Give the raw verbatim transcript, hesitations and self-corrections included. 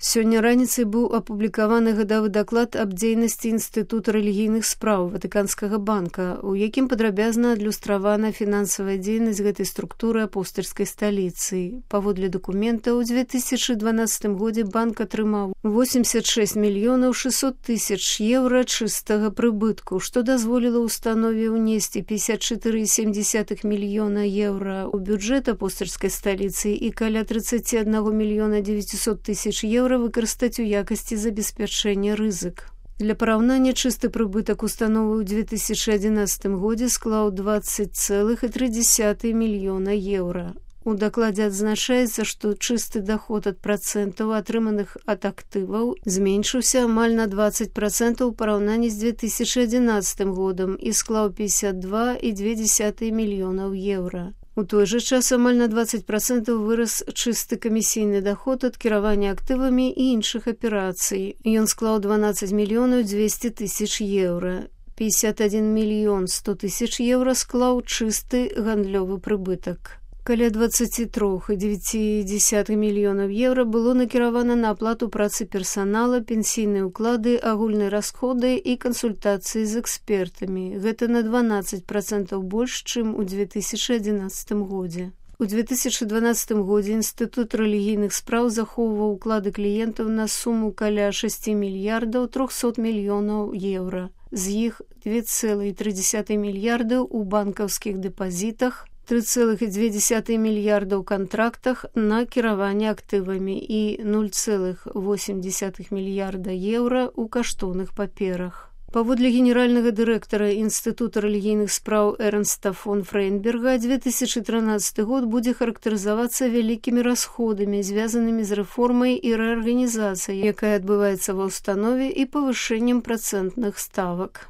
Сёння раніцай быў апублікаваны гадавы даклад аб дзейнасці Інстытута рэлігійных спраў Ватыканскага банка, у якім падрабязна адлюстравана фінансавая дзейнасць гэтай структуры апостальскай сталіцы. Паводле дакумента, ў дзве тысячы дванаццатым годзе банк атрымаў восемьдесят шесть мільёнаў шестьсот тысяч еўра чыстага прыбытку, што дазволіла установе ўнесці пятьдесят четыре целых семь десятых мільёна еўра ў бюджэт апостальскай сталіцы і каля тридцать один мільёна девятьсот тысяч еўра выкарыстаць у якасці забеспячэння рызык. Для параўнання, чысты прыбытак установы ў дзве тысячы адзінаццатым годзе склаў двадцать целых три десятых мільёна еўра. У дакладзе адзначаецца, што чысты доход ад працэнтаў, атрыманых ад актываў, зменшыўся амаль на двадцать процентаў у параўнанні з дзве тысячы адзінаццатым годам і склаў пятьдесят два целых две десятых мільёнаў еўра. У той жа час амаль на двадцать процентаў вырас чысты камісійны доход ад кіравання актывамі і іншых аперацый. Ён склаў дванаццаць мільёнаў двести тысяч еўра. пятьдесят один мільён сто тысяч еўра склаў чысты гандлёвы прыбытак. Каля двадцать три целых девять десятых мільёнаў еўра было накіравана на аплату працы персанала, пенсійныя ўклады, агульныя расходы і кансультацыі з экспертамі. Гэта на дванаццаць процентаў больш, чым у дзве тысячы адзінаццатым годзе. У дзве тысячы дванаццатым годзе Інстытут рэлігійных спраў захоўваў уклады кліентаў на суму каля шесть мільярдаў трёхсот мільёнаў еўра. З іх два целых три десятых мільярда ў банкаўскіх дэпазітах, три целых две десятых мільярда ў кантрактах на кіраванне актывамі і ноль целых восемь десятых мільярда еўра ў каштоўных паперах. Паводле генеральнага дырэктара Інстытута рэлігійных спраў Эрнста фон Фрейнберга, дзве тысячы трынаццаты год будзе характарызавацца вялікімі расходамі, звязанымі з рэформай і рэарганізацыяй, якая адбываецца ва ўстанове, і павышэннем працэнтных ставак.